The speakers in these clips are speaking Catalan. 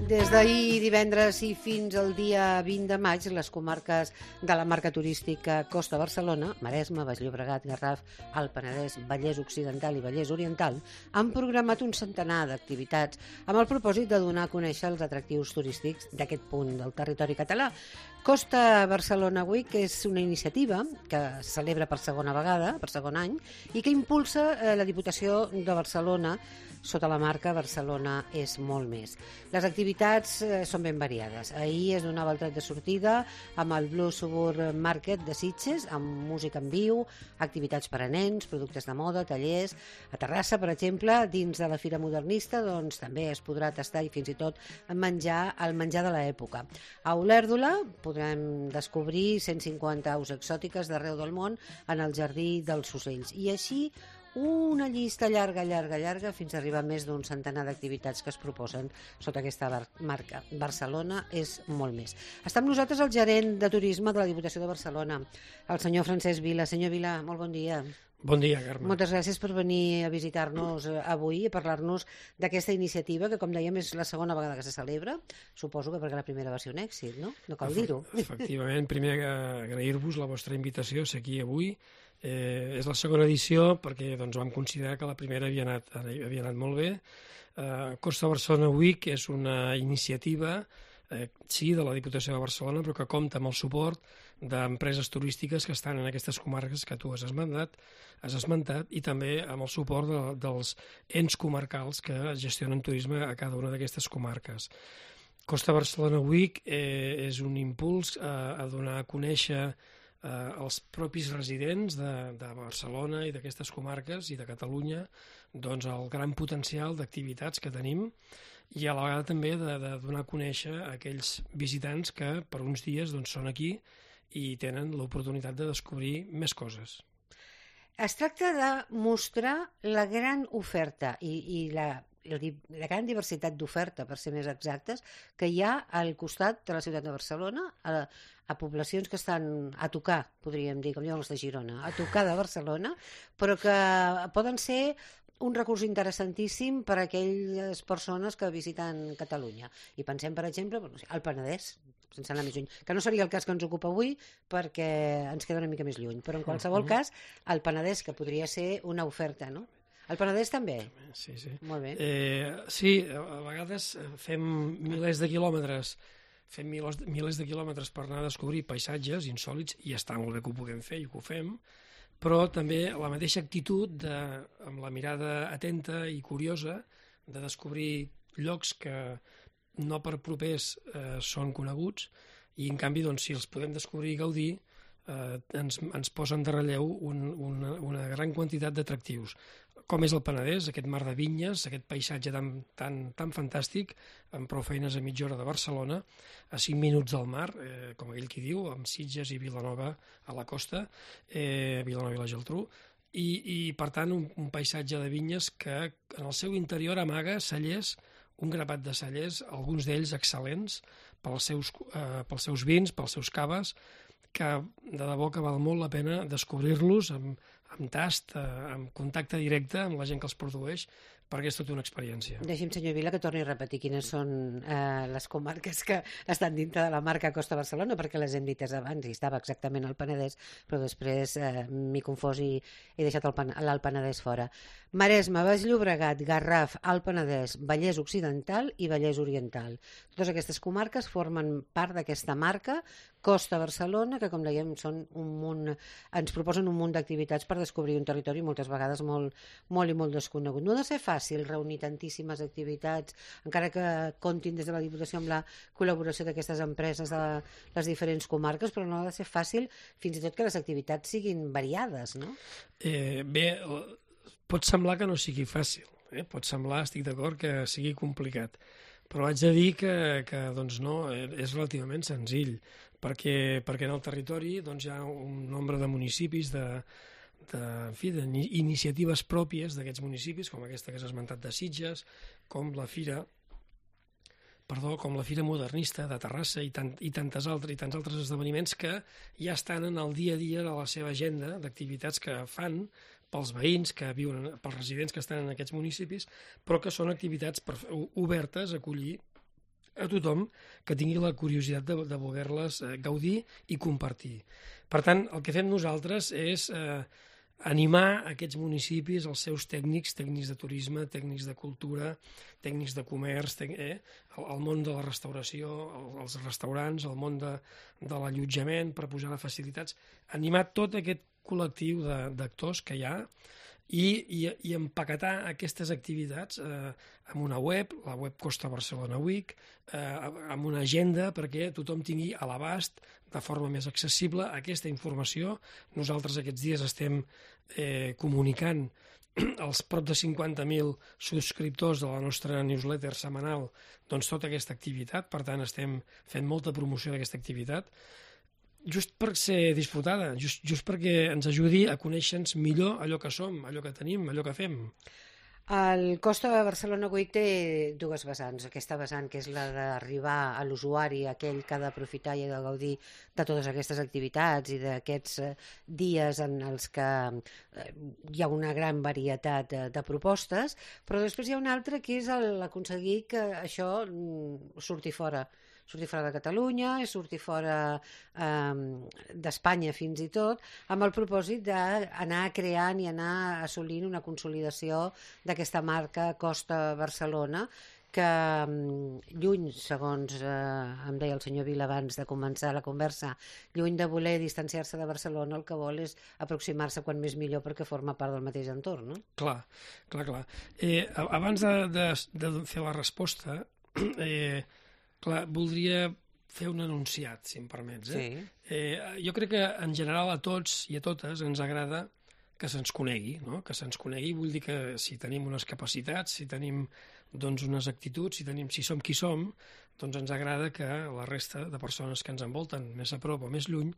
Des d'ahir divendres i fins al dia 20 de maig, les comarques de la marca turística Costa Barcelona, Maresme, Baix Llobregat, Garraf, Alt Penedès, Vallès Occidental i Vallès Oriental han programat un centenar d'activitats amb el propòsit de donar a conèixer els atractius turístics d'aquest punt del territori català. Costa Barcelona Week és una iniciativa que es celebra per segona vegada, per segon any, i que impulsa la Diputació de Barcelona sota la marca Barcelona és molt més. Les activitats són ben variades. Ahir es donava el tret de sortida amb el Blue Suburb Market de Sitges, amb música en viu, activitats per a nens, productes de moda, tallers. A Terrassa, per exemple, dins de la Fira Modernista, doncs també es podrà tastar i fins i tot menjar el menjar de l'època. A Olèrdola podrem descobrir 150 aus exòtiques d'arreu del món en el Jardí dels Ocells. I així una llista llarga fins a arribar a més d'un centenar d'activitats que es proposen sota aquesta marca. Barcelona és molt més. Està amb nosaltres el gerent de turisme de la Diputació de Barcelona, el senyor Francesc Vila. Senyor Vila, molt bon dia. Bon dia, Carme. Moltes gràcies per venir a visitar-nos avui i parlar-nos d'aquesta iniciativa que, com dèiem, és la segona vegada que se celebra. Suposo que perquè la primera va ser un èxit, no? No cal dir-ho. Efectivament, primer agrair-vos la vostra invitació a ser aquí avui. És la segona edició perquè vam considerar que la primera havia anat molt bé. Costa Barcelona Week és una iniciativa sí, de la Diputació de Barcelona, però que compta amb el suport d'empreses turístiques que estan en aquestes comarques que tu has esmentat i també amb el suport dels ens comarcals que gestionen turisme a cada una d'aquestes comarques. Costa Barcelona Week és un impuls a donar a conèixer els propis residents de Barcelona i d'aquestes comarques i de Catalunya doncs el gran potencial d'activitats que tenim i a la vegada també de donar a conèixer a aquells visitants que per uns dies doncs, són aquí i tenen l'oportunitat de descobrir més coses. Es tracta de mostrar la gran oferta i la gran diversitat d'oferta, per ser més exactes, que hi ha al costat de la ciutat de Barcelona, a poblacions que estan a tocar, podríem dir, com diuen els de Girona, a tocar de Barcelona, però que poden ser un recurs interessantíssim per a aquelles persones que visiten Catalunya. I pensem, per exemple, al Penedès, sense anar més lluny, que no seria el cas que ens ocupa avui perquè ens queda una mica més lluny, però en qualsevol cas, al Penedès, que podria ser una oferta, no? El Penedès també? Sí. Molt bé. Sí, a vegades fem milers de quilòmetres per anar a descobrir paisatges insòlits i està molt bé que ho puguem fer i que ho fem, però també la mateixa actitud amb la mirada atenta i curiosa de descobrir llocs que no per propers són coneguts i en canvi doncs, si els podem descobrir i gaudir ens posen de relleu una gran quantitat d'atractius, com és el Penedès, aquest mar de vinyes, aquest paisatge tan fantàstic, amb prou feines a mitja hora de Barcelona, a 5 minuts del mar, com aquell qui diu, amb Sitges i Vilanova a la costa, Vilanova i la Geltrú, i per tant un paisatge de vinyes que en el seu interior amaga cellers, un grapat de cellers, alguns d'ells excel·lents pels seus vins, pels seus caves, que de debò que val molt la pena descobrir-los amb tast, amb contacte directe amb la gent que els produeix, perquè és tota una experiència. Deixi'm, senyor Vila, que torni a repetir quines són les comarques que estan dintre de la marca Costa Barcelona, perquè les hem dites abans, i estava exactament al Penedès, però després m'he confós i he deixat l'Alt Penedès fora. Maresme, Baix Llobregat, Garraf, Alt Penedès, Vallès Occidental i Vallès Oriental. Totes aquestes comarques formen part d'aquesta marca Costa Barcelona, que, com dèiem, ens proposen un munt d'activitats per descobrir un territori moltes vegades molt i molt desconegut. No ha de ser fàcil reunir tantíssimes activitats, encara que comptin des de la Diputació amb la col·laboració d'aquestes empreses de les diferents comarques, però no ha de ser fàcil fins i tot que les activitats siguin variades, no? Bé, pot semblar que no sigui fàcil, pot semblar, estic d'acord, que sigui complicat, però haig de dir que doncs no, és relativament senzill, perquè en el territori doncs, hi ha un nombre de municipis, d'iniciatives pròpies d'aquests municipis, com aquesta que has esmentat de Sitges, com la Fira Modernista de Terrassa i tants altres esdeveniments que ja estan en el dia a dia de la seva agenda d'activitats que fan pels veïns que viuen, pels residents que estan en aquests municipis, però que són activitats obertes a acollir a tothom que tingui la curiositat de voler-les gaudir i compartir. Per tant, el que fem nosaltres és animar aquests municipis, els seus tècnics de turisme, tècnics de cultura, tècnics de comerç, el món de la restauració, els restaurants, el món de l'allotjament per posar facilitats, animar tot aquest col·lectiu d'actors que hi ha i empaquetar aquestes activitats amb una web, la web Costa Barcelona Week, amb una agenda perquè tothom tingui a l'abast de forma més accessible aquesta informació. Nosaltres aquests dies estem comunicant als prop de 50.000 subscriptors de la nostra newsletter setmanal doncs tota aquesta activitat, per tant estem fent molta promoció d'aquesta activitat, just per ser disfrutada, just perquè ens ajudi a conèixer-nos millor allò que som, allò que tenim, allò que fem. El Costa Barcelona Week té dues vessants. Aquesta vessant, que és la d'arribar a l'usuari, aquell que ha d'aprofitar i ha de gaudir de totes aquestes activitats i d'aquests dies en els que hi ha una gran varietat de propostes, però després hi ha una altra que és aconseguir que això surti fora de Catalunya, surti fora d'Espanya fins i tot, amb el propòsit d'anar creant i anar assolint una consolidació d'aquesta marca Costa Barcelona, que lluny, segons em deia el senyor Vila abans de començar la conversa, lluny de voler distanciar-se de Barcelona, el que vol és aproximar-se quan més millor perquè forma part del mateix entorn, no? Clar. Abans de fer la resposta, voldria fer un enunciat, si em permets. Sí. Jo crec que en general a tots i a totes ens agrada que se'ns conegui, no? Que se'ns conegui vull dir que si tenim unes capacitats, si tenim unes actituds, si som qui som, doncs ens agrada que la resta de persones que ens envolten, més a prop o més lluny,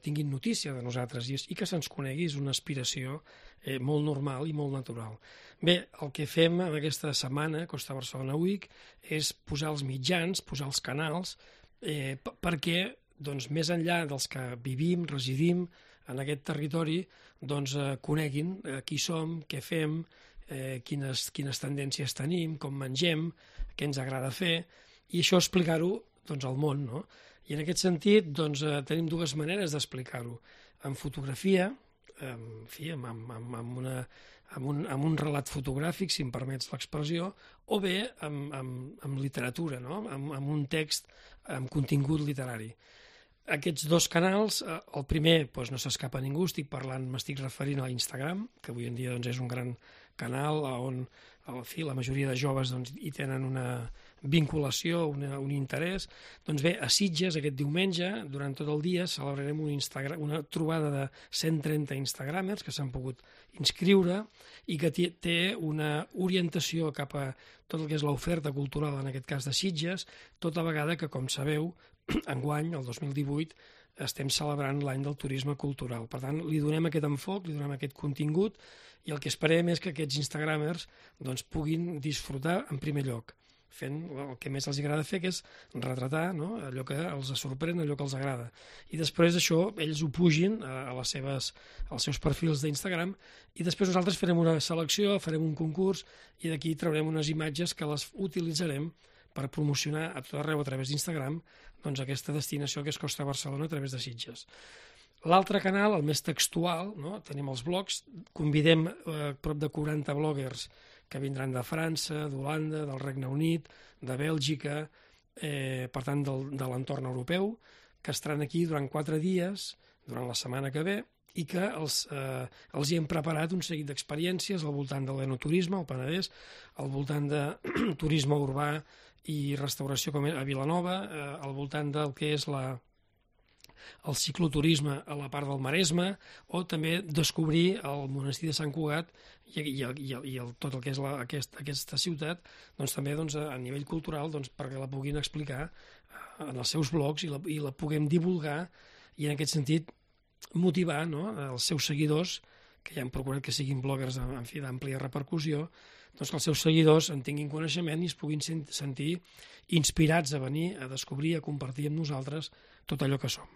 tinguin notícia de nosaltres i que se'ns conegui és una aspiració molt normal i molt natural. Bé, el que fem en aquesta setmana, Costa Barcelona Week, és posar els mitjans, posar els canals, perquè més enllà dels que vivim, residim en aquest territori, coneguin qui som, què fem, quines tendències tenim, com mengem, què ens agrada fer, i això explicar-ho al món, no? I en aquest sentit tenim dues maneres d'explicar-ho. En fotografia, amb un relat fotogràfic, si em permets l'expressió, o bé amb literatura, no? Amb un text amb contingut literari. Aquests dos canals, el primer no s'escapa a ningú, m'estic referint a Instagram, que avui en dia és un gran canal on la majoria de joves hi tenen una vinculació, un interès. Doncs bé, a Sitges aquest diumenge, durant tot el dia, celebrarem una trobada de 130 instagramers que s'han pogut inscriure i que té una orientació cap a tot el que és l'oferta cultural, en aquest cas de Sitges, tota vegada que, com sabeu, enguany, el 2018, estem celebrant l'any del turisme cultural. Per tant, li donem aquest enfoc, li donem aquest contingut i el que esperem és que aquests instagramers puguin disfrutar en primer lloc, fent el que més els agrada fer, que és retratar allò que els sorprèn, allò que els agrada. I després això, ells ho pugin als seus perfils d'Instagram i després nosaltres farem una selecció, farem un concurs i d'aquí traurem unes imatges que les utilitzarem per promocionar a tot arreu a través d'Instagram aquesta destinació que és Costa Barcelona a través de Sitges. L'altre canal, el més textual, tenim els blogs, convidem prop de 40 bloggers que vindran de França, d'Holanda, del Regne Unit, de Bèlgica, per tant de l'entorn europeu, que estaran aquí durant 4 dies, durant la setmana que ve, i que els hi hem preparat un seguit d'experiències al voltant de l'enoturisme, al Penedès, al voltant de turisme urbà i restauració com a Vilanova, al voltant del que és el cicloturisme a la part del Maresme, o també descobrir el monestir de Sant Cugat i tot el que és aquesta ciutat, també a nivell cultural perquè la puguin explicar en els seus blogs i la puguem divulgar i en aquest sentit motivar els seus seguidors, que ja hem procurat que siguin bloggers d'àmplia repercussió, que els seus seguidors en tinguin coneixement i es puguin sentir inspirats a venir, a descobrir, a compartir amb nosaltres tot allò que som.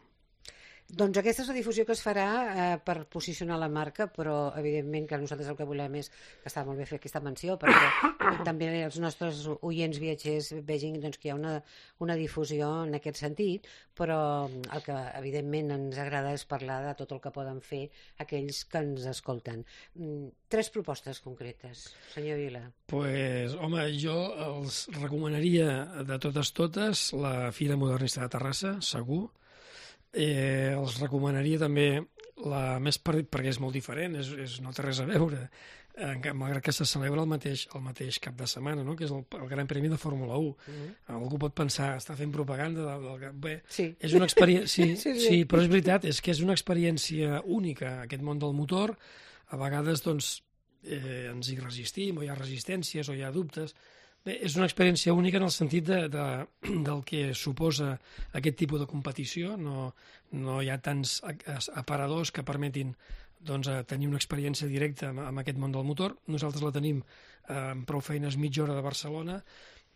Doncs aquesta és la difusió que es farà per posicionar la marca, però evidentment que nosaltres el que volem és que està molt bé fer aquesta menció, perquè també els nostres oients viatgers vegin doncs, que hi ha una difusió en aquest sentit, però el que evidentment ens agrada és parlar de tot el que poden fer aquells que ens escolten. 3 propostes concretes, senyor Vila. Pues, home, jo els recomanaria de totes la Fira Modernista de Terrassa, segur. Els recomanaria també la més perquè és molt diferent, no té res a veure, malgrat que se celebra el mateix cap de setmana, no? Que és el Gran Premi de Fórmula 1. Algú pot pensar, està fent propaganda bé, sí. És una experiència... Sí, però és veritat, és que és una experiència única, aquest món del motor. A vegades doncs, ens hi resistim, o hi ha resistències, o hi ha dubtes. Bé, és una experiència única en el sentit del que suposa aquest tipus de competició. No hi ha tants aparadors que permetin doncs, tenir una experiència directa amb aquest món del motor. Nosaltres la tenim amb prou feines mitja hora de Barcelona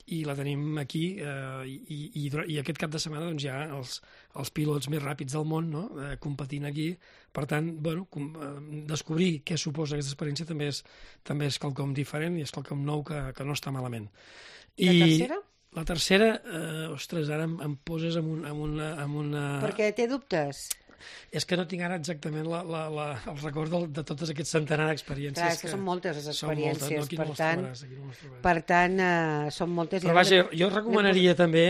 i la tenim aquí i aquest cap de setmana doncs, hi ha els pilots més ràpids del món, no? Competint aquí. Per tant, bueno, descobrir què suposa aquesta experiència també és quelcom diferent i és quelcom nou que no està malament. I la tercera? La tercera, ostres, ara em poses amb una... Perquè té dubtes. És que no tinc ara exactament el record de totes aquests centenars d'experiències. Clar, és que són moltes les experiències, per tant, són moltes. Però vaja, jo recomanaria també,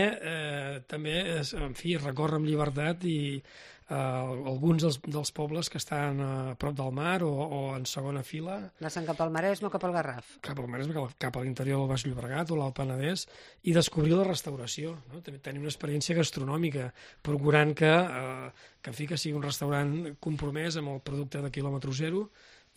en fi, recórrer amb llibertat i alguns dels pobles que estan a prop del mar o en segona fila. Anant cap al Maresme o cap al Garraf? Cap al Maresme, cap a l'interior del Baix Llobregat o l'Alt Penedès, i descobrir la restauració, no? També tenir una experiència gastronòmica, procurant que sigui un restaurant compromès amb el producte de quilòmetre zero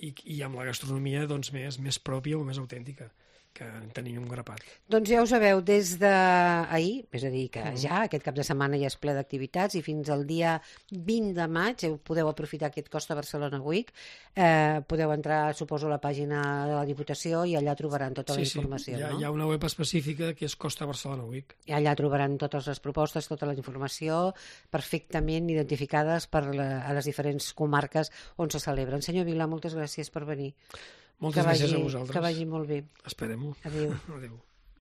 i amb la gastronomia doncs, més pròpia o més autèntica, que en tenim un grapat. Doncs ja ho sabeu, des d'ahir, és a dir, que ja aquest cap de setmana ja és ple d'activitats i fins al dia 20 de maig podeu aprofitar aquest Costa Barcelona Week, podeu entrar, suposo, a la pàgina de la Diputació i allà trobaran tota la informació. Sí, hi ha una web específica que és Costa Barcelona Week. I allà trobaran totes les propostes, tota la informació, perfectament identificades a les diferents comarques on se celebren. Senyor Vila, moltes gràcies per venir. Moltes gràcies a vosaltres. Que vagi molt bé. Esperem-ho. Adéu. Adéu.